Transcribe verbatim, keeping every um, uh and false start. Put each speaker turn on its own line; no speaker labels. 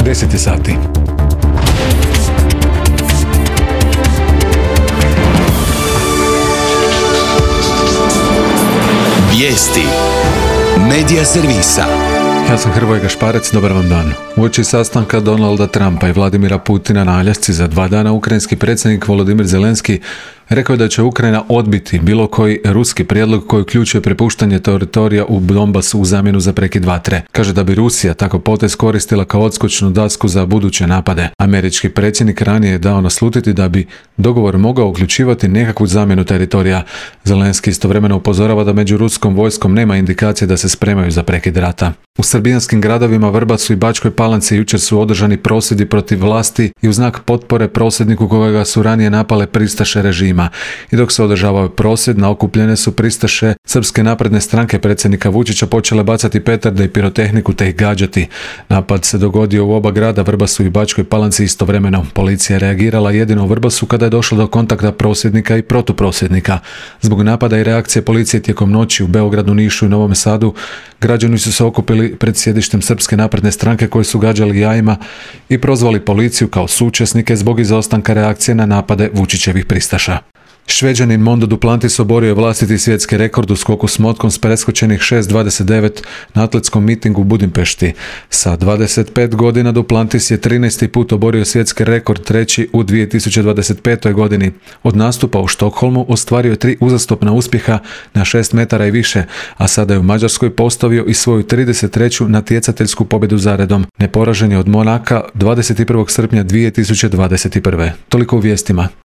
deset je sati.
Vijesti Medija servisa.
Ja sam Hrvoje Gašparec, dobar vam dan. Uoči sastanka Donalda Trumpa i Vladimira Putina na Aljasci za dva dana, ukrajinski predsjednik Volodimir Zelenski rekao je da će Ukrajina odbiti bilo koji ruski prijedlog koji uključuje prepuštanje teritorija u Donbasu u zamjenu za prekid vatre. Kaže da bi Rusija tako potez koristila kao odskočnu dasku za buduće napade. Američki predsjednik ranije je dao naslutiti da bi dogovor mogao uključivati nekakvu zamjenu teritorija. Zelenski istovremeno upozorava da među ruskom vojskom nema indikacije da se spremaju za prekid rata. U srbijanskim gradovima Vrbasu i Bačkoj Palanci jučer su održani prosvjedi protiv vlasti i u znak potpore prosvjedniku kojega su ranije napale pristaše režima. I dok se održavao prosvjed, na okupljene su pristaše Srpske napredne stranke predsjednika Vučića počele bacati petarde i pirotehniku te ih gađati. Napad se dogodio u oba grada, Vrbasu i Bačkoj Palanci istovremeno. Policija je reagirala jedino u Vrbasu kada je došlo do kontakta prosvjednika i protuprosvjednika. Zbog napada i reakcije policije tijekom noći u Beogradu, Nišu i Novom Sadu, građani su se okupili pred sjedištem Srpske napredne stranke koji su gađali jajima i prozvali policiju kao suučesnike zbog izostanka reakcije na napade Vučićevih pristaša. Šveđanin Mondo Duplantis oborio je vlastiti svjetski rekord u skoku s motkom s preskočenih šest dvadeset devet na atletskom mitingu u Budimpešti. Sa dvadeset pet godina Duplantis je trinaesti put oborio svjetski rekord, treći u dvije tisuće dvadeset petoj godini. Od nastupa u Štokholmu ostvario je tri uzastopna uspjeha na šest metara i više, a sada je u Mađarskoj postavio i svoju trideset treću natjecateljsku pobjedu zaredom. Neporažen je od Monaka dvadeset prvog srpnja dvije tisuće dvadeset prve. Toliko u vijestima.